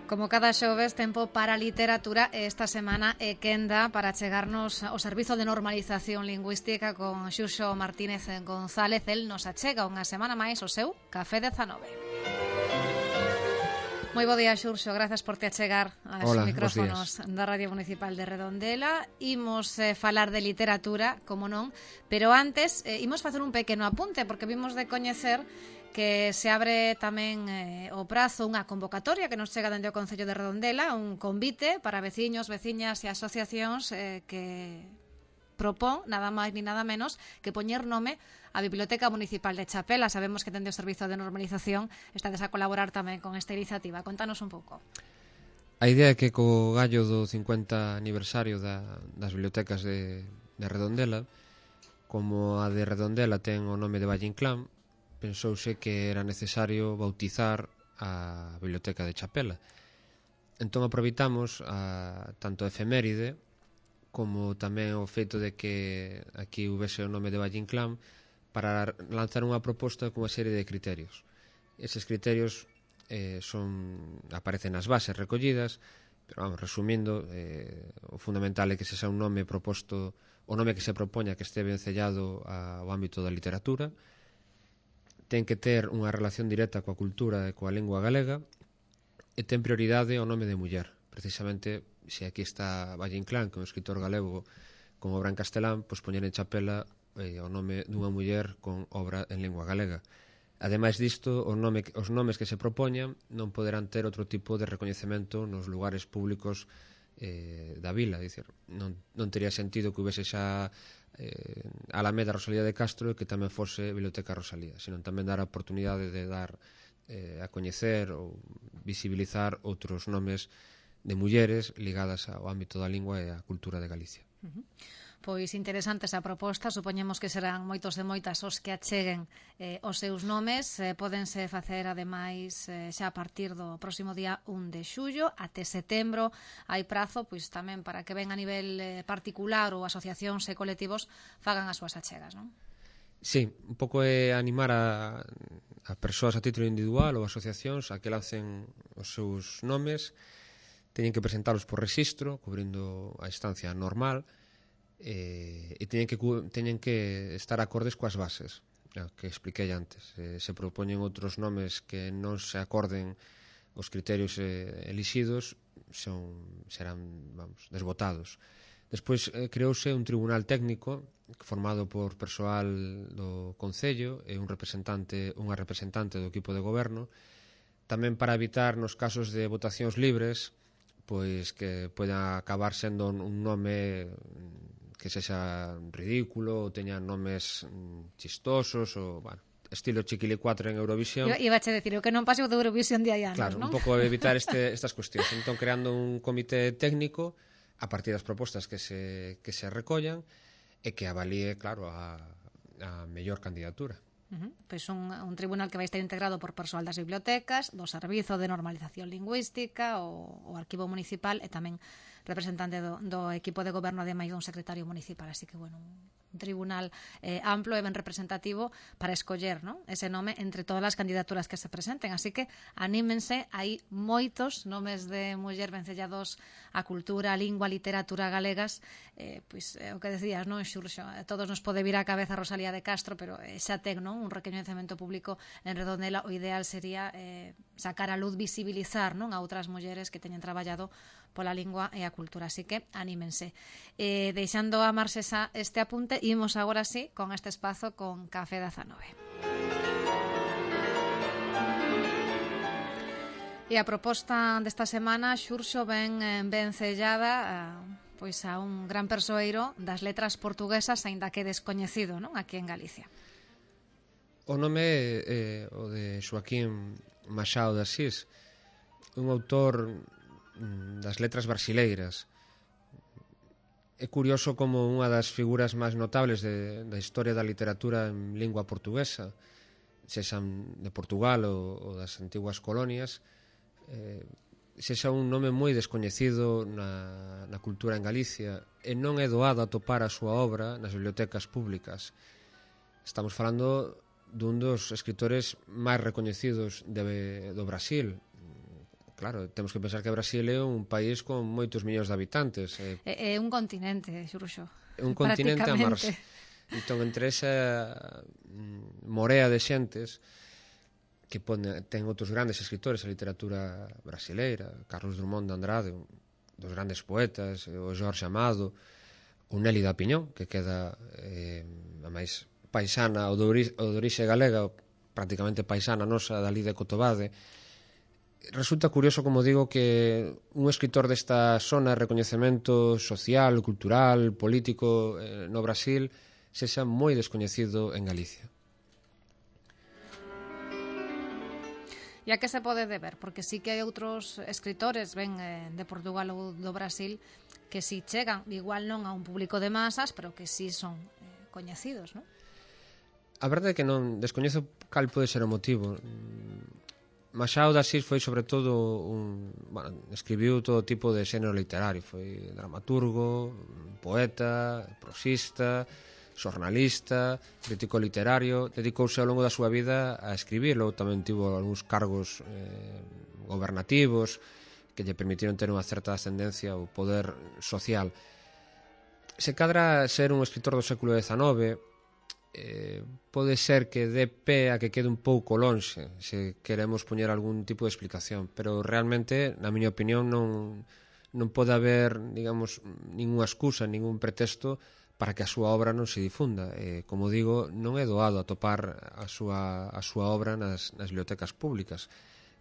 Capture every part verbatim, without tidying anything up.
Como cada xoves, tempo para a literatura e esta semana é quenda para chegarnos ao Servizo de Normalización Lingüística con Xurxo Martínez González. El nos achega unha semana máis o seu Café dezanove. Moi bo día, Xurxo, grazas por te achegar aos Hola, micrófonos da Radio Municipal de Redondela. Imos eh, falar de literatura, como non, pero antes eh, imos facer un pequeno apunte, porque vimos de coñecer que se abre tamén eh, o prazo unha convocatoria que nos chega dende o Concello de Redondela, un convite para veciños, veciñas e asociacións eh, que propón nada máis ni nada menos que poñer nome á Biblioteca Municipal de Chapela. Sabemos que dende o Servizo de Normalización estades a colaborar tamén con esta iniciativa. Contanos un pouco. A idea é que co gallo do cincuenta aniversario da, das bibliotecas de, de Redondela, como a de Redondela ten o nome de Valle Inclán, pensouse que era necesario bautizar a Biblioteca de Chapela. Entón aproveitamos a, tanto a efeméride como tamén o feito de que aquí houvese o nome de Valle Inclán para lanzar unha proposta con unha serie de criterios. Eses criterios eh, son aparecen nas bases recollidas, pero vamos, resumindo, eh, o fundamental é que se xa un nome proposto, o nome que se propoña que este vencellado ao ámbito da literatura, ten que ter unha relación directa coa cultura e coa lingua galega e ten prioridade ao nome de muller. Precisamente, se aquí está Valle Inclán, que é un escritor galego con obra en castelán, pois poñer en Chapela eh, o nome dunha muller con obra en lingua galega. Ademais disto, o nome, os nomes que se propoñan non poderán ter outro tipo de recoñecemento nos lugares públicos eh, da vila. Dicir, non, non tería sentido que houvese xa eh, Alameda Rosalía de Castro e que tamén fose Biblioteca Rosalía, senón tamén dar a oportunidade de dar eh, a coñecer ou visibilizar outros nomes de mulleres ligadas ao ámbito da lingua e á cultura de Galicia. Uh-huh. Pois interesante esa proposta, supoñemos que serán moitos e moitas os que acheguen eh, os seus nomes, eh, pódense facer ademais eh, xa a partir do próximo día un de xullo até setembro, hai prazo pois tamén para que ven a nivel eh, particular ou asociacións e colectivos fagan as súas achegas, non? Sí, un pouco é animar a, a persoas a título individual ou asociacións a que lancen os seus nomes. Teñen que presentalos por rexistro, cubrindo a instancia normal, eh, e teñen que, teñen que estar acordes coas bases que expliquei antes. Eh, se propoñen outros nomes que non se acorden os criterios eh, elixidos, son, serán, vamos, desbotados. Despois eh, creouse un tribunal técnico formado por persoal do Concello e un representante, unha representante do equipo de goberno, tamén para evitar nos casos de votacións libres pois que poida acabar sendo un nome que sexa ridículo ou teña nomes chistosos ou, bueno, estilo Chiquilicuatre en Eurovisión. Iba, iba a decir, o que non pase o de Eurovisión de hai anos, claro, non? Un pouco evitar este, estas cuestións. Entón, creando un comité técnico a partir das propostas que se, que se recollan e que avalíe, claro, a, a mellor candidatura. Uh-huh. Pois un, un tribunal que vai estar integrado por persoal das bibliotecas, do Servizo de Normalización Lingüística, o, o Arquivo Municipal e tamén representante do, do equipo de goberno, ademais dun secretario municipal. Así que, bueno, un tribunal eh, amplo e ben representativo para escoller, ¿no?, ese nome entre todas as candidaturas que se presenten. Así que anímense, hai moitos nomes de muller vencellados á cultura, á lingua, á literatura galegas. Eh, pois eh, o que decías, non, Xurxo, a todos nos pode vir á cabeza Rosalía de Castro, pero eh, xa ten, non, un recoñecemento público en Redondela. O ideal sería eh, sacar a luz, visibilizar, non, a outras mulleres que teñen traballado pola lingua e a cultura. Así que anímense. Eh, deixando a marxe esa, este apunte, imos agora sí con este espazo con Café dezanove. E a proposta desta semana, Xurxo, ben vencellada a, pois a un gran persoeiro das letras portuguesas, aínda que descoñecido, non, aquí en Galicia. O nome é eh, o de Xoaquín Machado de Asís, un autor das letras brasileiras. É curioso como unha das figuras máis notables de, da historia da literatura en lingua portuguesa, sexan de Portugal ou, ou das antiguas colonias, eh, sexa un nome moi descoñecido na, na cultura en Galicia e non é doado atopar a súa obra nas bibliotecas públicas. Estamos falando dun dos escritores máis recoñecidos de, do Brasil, claro, temos que pensar que Brasil é un país con moitos millóns de habitantes. É, é un continente, xuruxo. É un continente a mar. Entón, entre esa morea de xentes que pone, ten outros grandes escritores a literatura brasileira, Carlos Drummond de Andrade, un dos grandes poetas, o Jorge Amado, o Nelly da Piñón, que queda eh, a máis paisana, o de orixe galega, prácticamente paisana nosa, dali de Cotobade. Resulta curioso, como digo, que un escritor desta zona de recoñecemento social, cultural, político eh, no Brasil sexa moi descoñecido en Galicia. E a que se pode deber? Porque sí que hai outros escritores, ben, eh, de Portugal ou do Brasil, que si chegan, igual non a un público de masas, pero que si son eh, coñecidos, non? A verdade é que non descoñezo cal pode ser o motivo. Machado de Assis foi sobre todo un, bueno, escribiu todo tipo de xénero literario, foi dramaturgo, poeta, prosista, xornalista, crítico literario, dedicouse ao longo da súa vida a escribir, logo tamén tivo algúns cargos eh, gobernativos que lle permitiron ter unha certa ascendencia ou poder social. Se cadra ser un escritor do século dezanove, eh, pode ser que dé pé a que quede un pouco lonxe se queremos poñer algún tipo de explicación, pero realmente, na miña opinión, non, non pode haber, digamos, ninguna excusa, ningún pretexto para que a súa obra non se difunda. Eh, como digo, non é doado atopar a súa, a súa obra nas, nas bibliotecas públicas.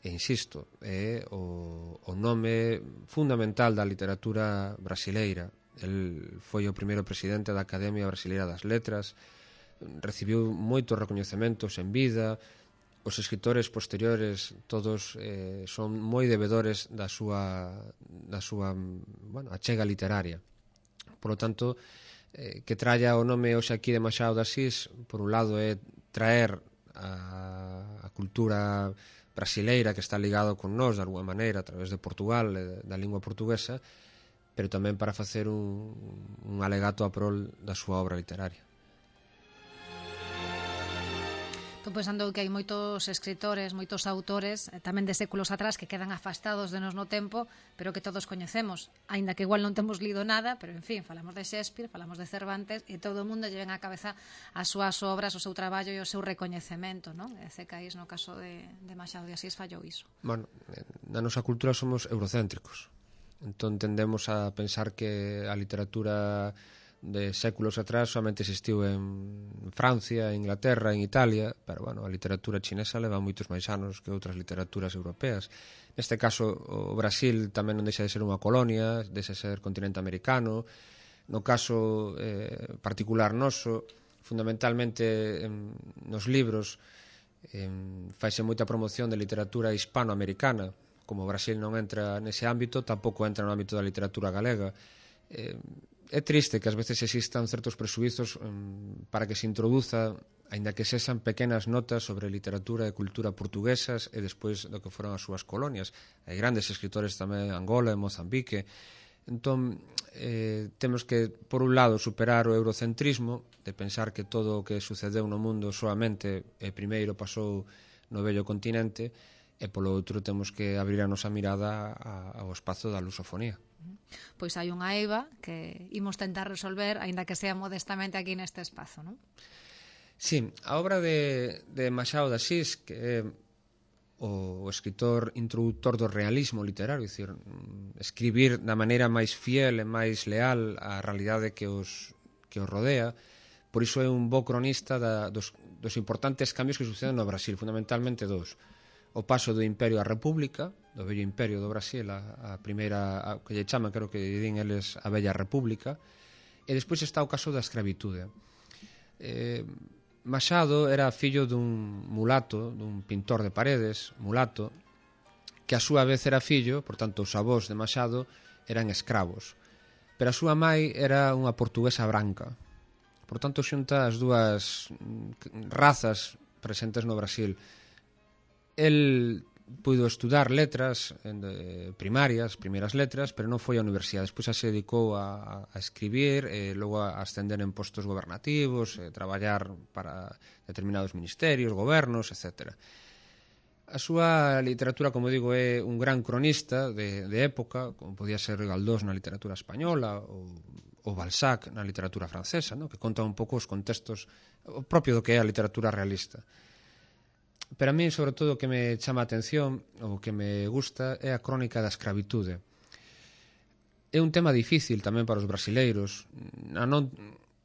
E insisto, é o, o nome fundamental da literatura brasileira. El foi o primeiro presidente da Academia Brasileira das Letras, recibiu moitos recoñecementos en vida, os escritores posteriores todos eh, son moi debedores da súa, da súa bueno, achega literaria. Por lo tanto, eh, que tralla o nome hoxe aquí de Machado de Assis, por un lado é traer a, a cultura brasileira que está ligado con nós de alguma maneira a través de Portugal e da lingua portuguesa, pero tamén para facer un, un alegato a prol da súa obra literaria. Estou pensando que hai moitos escritores, moitos autores, tamén de séculos atrás, que quedan afastados de nos no tempo, pero que todos coñecemos, aínda que igual non temos lido nada, pero en fin, falamos de Shakespeare, falamos de Cervantes, e todo o mundo lle ven á cabeza as súas obras, o seu traballo e o seu recoñecemento, non? E Cais, no caso de, de Machado de Assis, fallou iso. Bueno, na nosa cultura somos eurocéntricos, entón tendemos a pensar que a literatura de séculos atrás somente existiu en Francia, en Inglaterra, en Italia, pero bueno, a literatura chinesa leva moitos máis anos que outras literaturas europeas. Neste caso, o Brasil tamén non deixa de ser unha colonia, deixa de ser continente americano. No caso eh, particular noso, fundamentalmente en, nos libros en, faise moita promoción de literatura hispanoamericana. Como o Brasil non entra nese ámbito, tampouco entra no ámbito da literatura galega. Eh, É triste que ás veces existan certos presuizos um, para que se introduza, aínda que sexan pequenas notas sobre literatura e cultura portuguesas e despois do que foron as súas colonias. Hai grandes escritores tamén en Angola e Mozambique. Entón, eh, temos que, por un lado, superar o eurocentrismo, de pensar que todo o que sucedeu no mundo solamente e primeiro pasou no vello continente, e polo outro temos que abrir a nosa mirada ao espazo da lusofonía. Pois hai unha eiva que imos tentar resolver, aínda que sea modestamente aquí neste espazo, non? Sí, a obra de, de Machado de Assis, que é o escritor introductor do realismo literario, é dicir, escribir da maneira máis fiel e máis leal á realidade que os, que os rodea, por iso é un bo cronista da, dos, dos importantes cambios que suceden no Brasil, fundamentalmente dous. O paso do Imperio á República, do vello Imperio do Brasil, a, a primeira, a, que lle chaman, creo que din eles, a Bella República, e despois está o caso da escravitude. Eh, Machado era fillo dun mulato, dun pintor de paredes, mulato, que a súa vez era fillo, por tanto os avós de Machado eran escravos, pero a súa mai era unha portuguesa branca. Por tanto, xunta as dúas razas presentes no Brasil. El puido estudar letras eh, primarias, primeiras letras, pero non foi á universidade. Despois se dedicou a, a escribir, e logo a ascender en postos gobernativos, e traballar para determinados ministerios, gobernos, etcétera. A súa literatura, como digo, é un gran cronista de, de época, como podía ser Galdós na literatura española ou, ou Balzac na literatura francesa, no? Que conta un pouco os contextos o propio do que é a literatura realista. Pero a mí, sobre todo, o que me chama a atención, o que me gusta, é a crónica da escravitude. É un tema difícil tamén para os brasileiros. A non,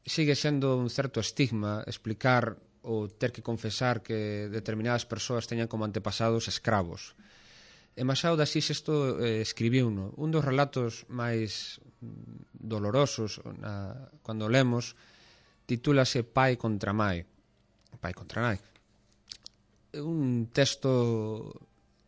sigue sendo un certo estigma explicar ou ter que confesar que determinadas persoas teñan como antepasados escravos. E Machado de Assis isto eh, escribiu no. Un dos relatos máis dolorosos na, cando lemos titúlase Pai contra Mai. Pai contra Nai. É un texto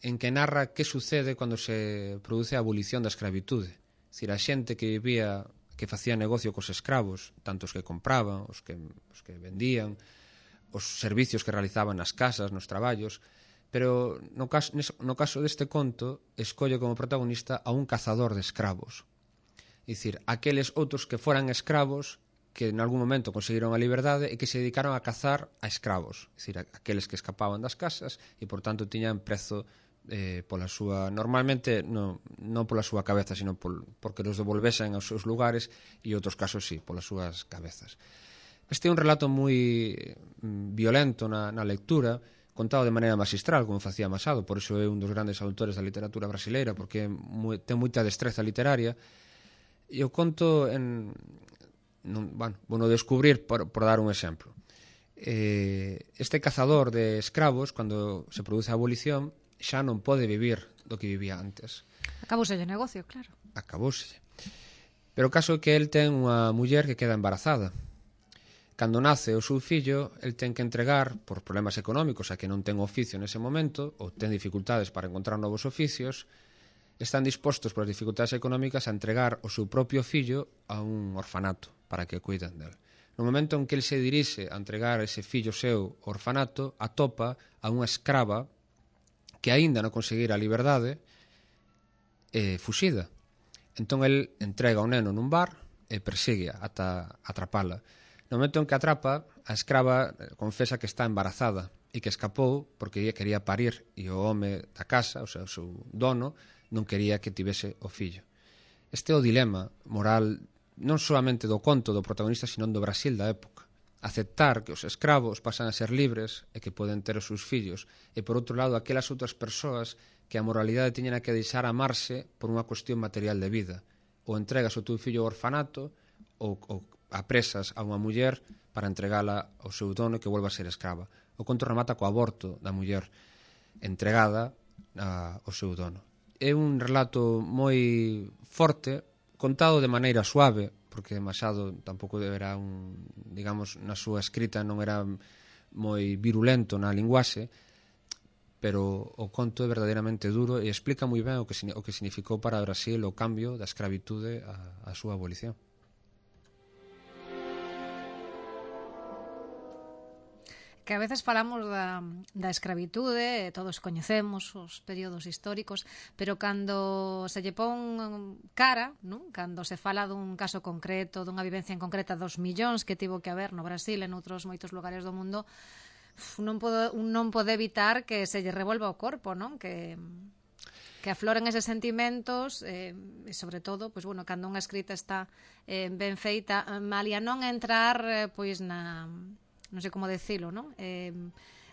en que narra que sucede cando se produce a abolición da escravitude. É dicir, a xente que vivía, que facía negocio cos escravos, tanto os que compraban, os que, os que vendían, os servicios que realizaban nas casas, nos traballos, pero no caso, no caso deste conto escolle como protagonista a un cazador de escravos. É dicir, aqueles outros que foran escravos que en algún momento conseguiron a liberdade e que se dedicaron a cazar a escravos, é dicir, aqueles que escapaban das casas e, por tanto, tiñan prezo eh, pola súa, normalmente non, non pola súa cabeza, sino por, porque los devolvesen aos seus lugares e, outros casos, sí, polas súas cabezas. Este é un relato moi violento na, na lectura, contado de maneira magistral, como facía Machado, por iso é un dos grandes autores da literatura brasileira, porque moi, ten moita destreza literaria, e o conto en... Non, bueno, bueno, descubrir por, por dar un exemplo. Eh, este cazador de escravos, cando se produce a abolición, xa non pode vivir do que vivía antes. Acabouselle o negocio, claro. Acabouselle. Pero o caso é que el ten unha muller que queda embarazada. Cando nace o seu fillo, el ten que entregar, por problemas económicos, a que non ten oficio nese momento, ou ten dificultades para encontrar novos oficios, están dispostos polas dificultades económicas a entregar o seu propio fillo a un orfanato para que cuiden del. No momento en que el se dirixe a entregar ese fillo seu ao orfanato, atopa a unha escrava que aínda non conseguira a liberdade e fuxida. Entón el entrega o neno nun bar e persigue ata atrapala. No momento en que atrapa, a escrava confesa que está embarazada e que escapou porque ella quería parir e o home da casa, o sea, o seu dono, non quería que tivese o fillo. Este é o dilema moral non solamente do conto do protagonista, sino do Brasil da época. Aceptar que os escravos pasan a ser libres e que poden ter os seus fillos, e por outro lado aquelas outras persoas que a moralidade teñen que deixar amarse por unha cuestión material de vida. Ou entregas o teu fillo ao orfanato ou, ou apresas a unha muller para entregala ao seu dono que volva a ser escrava. O conto remata co aborto da muller entregada a, ao seu dono. É un relato moi forte, contado de maneira suave, porque Machado tampouco era un, digamos, na súa escrita non era moi virulento na linguaxe, pero o conto é verdadeiramente duro e explica moi ben o que, o que significou para Brasil o cambio da escravitude a, a súa abolición. Que a veces falamos da, da escravitude, todos coñecemos os períodos históricos, pero cando se lle pon cara, non? Cando se fala dun caso concreto, dunha vivencia en concreta dos millóns que tivo que haber no Brasil e noutros moitos lugares do mundo, non pode, non pode evitar que se lle revolva o corpo, non? Que que afloren eses sentimentos eh, e sobre todo, pois bueno, cando unha escrita está eh, ben feita, malia non entrar eh, pois na non sei como decilo, non? Eh,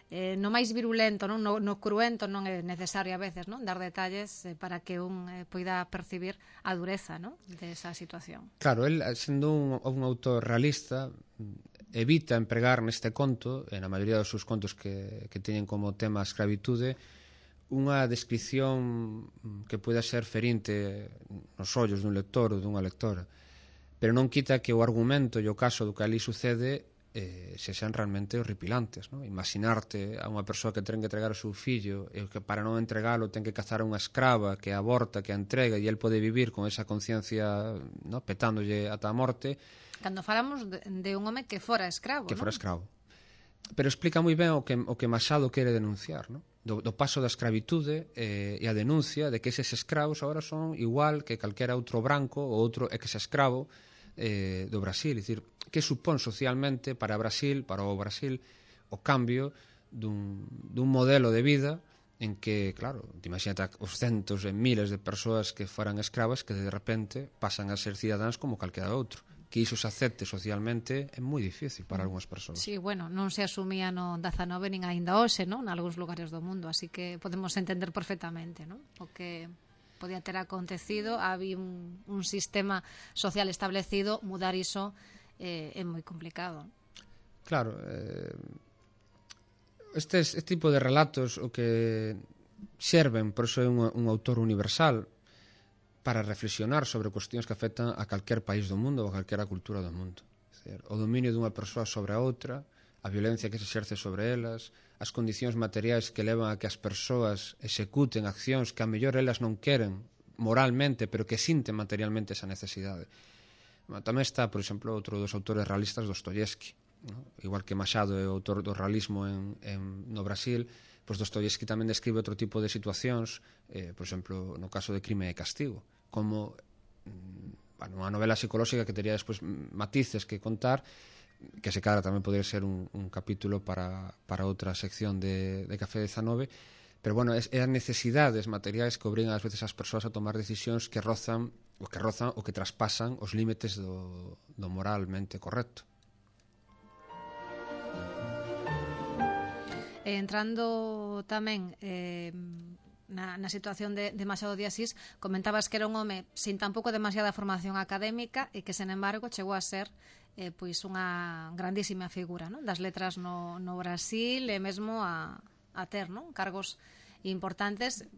eh, no máis virulento, non? No, no cruento non é necesario a veces, non? Dar detalles eh, para que un eh, poida percibir a dureza, non? Desa situación. Claro, el, sendo un, un autor realista, evita empregar neste conto, e na maioría dos seus contos que, que teñen como tema a escravitude, unha descripción que poida ser ferinte nos ollos dun lector ou dunha lectora, pero non quita que o argumento e o caso do que ali sucede eh, se sean realmente horripilantes, ¿no? Imaginarte a unha persoa que ten que entregar o seu fillo e que para non entregalo ten que cazar a unha escrava que aborta, que a entrega e el pode vivir con esa conciencia, ¿no? Petándolle ata a morte. Cando falamos de, de un home que fora escravo, que ¿no? fora escravo. Pero explica moi ben o que, o que Machado quere denunciar, ¿no? Do, do paso da escravitude eh, e a denuncia de que eses escravos agora son igual que calquera outro branco ou outro ex-escravo eh, do Brasil. É dicir, que supón socialmente para Brasil, para o Brasil, o cambio dun, dun modelo de vida en que, claro, imagínate os centos e miles de persoas que foran escravas que de repente pasan a ser cidadáns como calquera outro. Que iso se acepte socialmente é moi difícil para algunhas persoas. Sí, bueno, non se asumía no dezanove nin aínda hoxe, non? Nalgúns lugares do mundo, así que podemos entender perfectamente, non? O que podía ter acontecido, había un, un sistema social establecido, mudar iso eh, é moi complicado. Claro, eh, Estes, este tipo de relatos o que serven, por iso é un, un autor universal, para reflexionar sobre cuestións que afectan a calquer país do mundo ou a calquera cultura do mundo. Decir, o dominio dunha persoa sobre a outra, a violencia que se exerce sobre elas, as condicións materiais que levan a que as persoas executen accións que a mellor elas non queren moralmente, pero que sinten materialmente esa necesidade. Tamén está, por exemplo, outro dos autores realistas, Dostoyevsky, ¿no? Igual que Machado é o autor do realismo en, en, no Brasil, pois Dostoyevsky tamén describe outro tipo de situacións, eh, por exemplo, no caso de Crime e Castigo, como mm, bueno, unha novela psicolóxica que teria despois matices que contar, que se cara tamén podría ser un, un capítulo para, para outra sección de, de Café dezanove, pero bueno, é, é as necesidades materiais que obrigan ás veces as persoas a tomar decisións que rozan o que rozan ou que traspasan os límites do, do moralmente correcto. E entrando tamén eh, na, na situación de, de Machado de Asís, comentabas que era un home sin tampouco demasiada formación académica e que, sen embargo, chegou a ser eh, pois unha grandísima figura, non? Das letras no, no Brasil e mesmo a, a ter, non? Cargos importantes,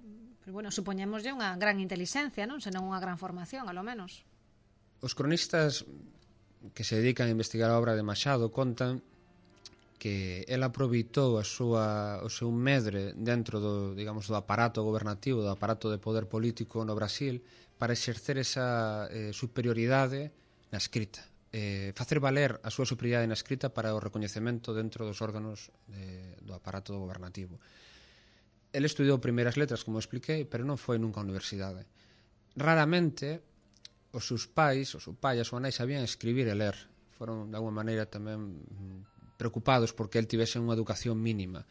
pero bueno, supoñémoslle unha gran inteligencia, non? Senón unha gran formación, alo menos. Os cronistas que se dedican a investigar a obra de Machado contan que ela aproveitou a súa, o seu medre dentro do, digamos, do aparato gobernativo, do aparato de poder político no Brasil, para exercer esa eh, superioridade na escrita. Eh, facer valer a súa superioridade na escrita para o recoñecemento dentro dos órganos de, do aparato gobernativo. El estudou primeiras letras, como expliquei, pero non foi nunca á universidade. Raramente os seus pais, os seus pai e a súa nai sabían escribir e ler. Foron, de alguma maneira, tamén preocupados porque el tivese unha educación mínima.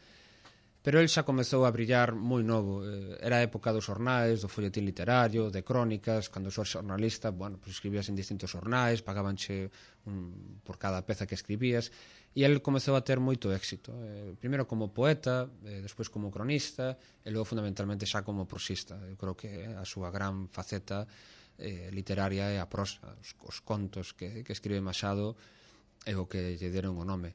Pero el xa comezou a brillar moi novo. Era a época dos xornais, do folletín literario, de crónicas. Cando sou xornalista, bueno, pues escribías en distintos xornais, pagabanche un, por cada peza que escribías, e el comezou a ter moito éxito. Eh, primeiro como poeta, eh, despois como cronista, e logo fundamentalmente xa como prosista. Eu creo que a súa gran faceta eh, literaria é a prosa, os, os contos que, que escribe Machado é o que lle deron o nome.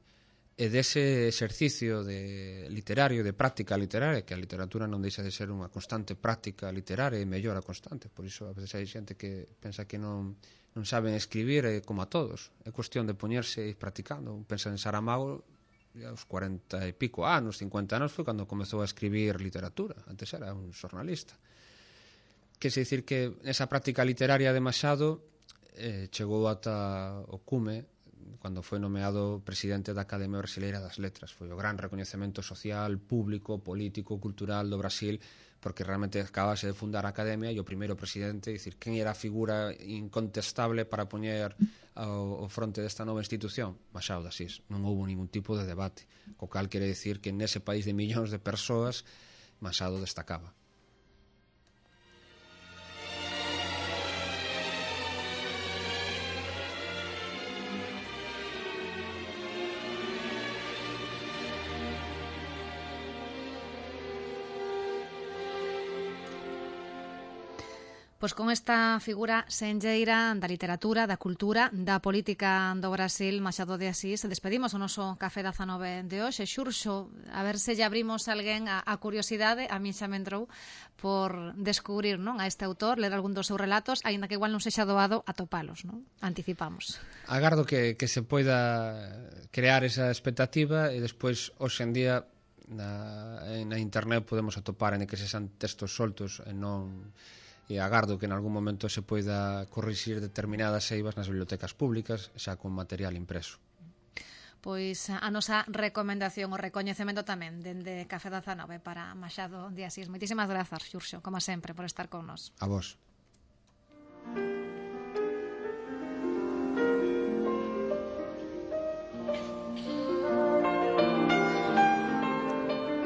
E dese exercicio de literario, de práctica literaria, que a literatura non deixa de ser unha constante práctica literaria e mellora constante, por iso a veces hai xente que pensa que non, non saben escribir, eh, como a todos. É cuestión de poñerse e ir practicando. Pensa en Saramago, aos cuarenta e pico anos, cincuenta anos, foi cando comezou a escribir literatura. Antes era un xornalista. Que se dicir que esa práctica literaria de Machado eh, chegou ata o cume cando foi nomeado presidente da Academia Brasileira das Letras. Foi o gran recoñecemento social, público, político, cultural do Brasil, porque realmente acabase de fundar a Academia e o primeiro presidente, dicir, quen era a figura incontestable para poñer ao, ao fronte desta nova institución? Machado de Asís. Non houve ningún tipo de debate, co cal quere dicir que nese país de millóns de persoas Machado destacaba. Pois con esta figura senlleira da literatura, da cultura, da política do Brasil, Machado de Asís, despedimos o noso Café dezanove de hoxe. Xurxo, a ver se lle abrimos alguén a, a curiosidade, a mí xa me entrou por descubrir, non, a este autor, ler algún dos seus relatos, aínda que igual non sexa doado atopalos, non? Anticipamos. Agardo que, que se poida crear esa expectativa e despois, hoxe en día, na, na internet podemos atopar en que se xan textos soltos e non... e agardo que en algún momento se poida corrixir determinadas eivas nas bibliotecas públicas xa con material impreso. Pois a nosa recomendación, o recoñecemento tamén dende Café dezanove para Machado de Asís. Moitísimas grazas, Xurxo, como sempre, por estar con nós. A vos.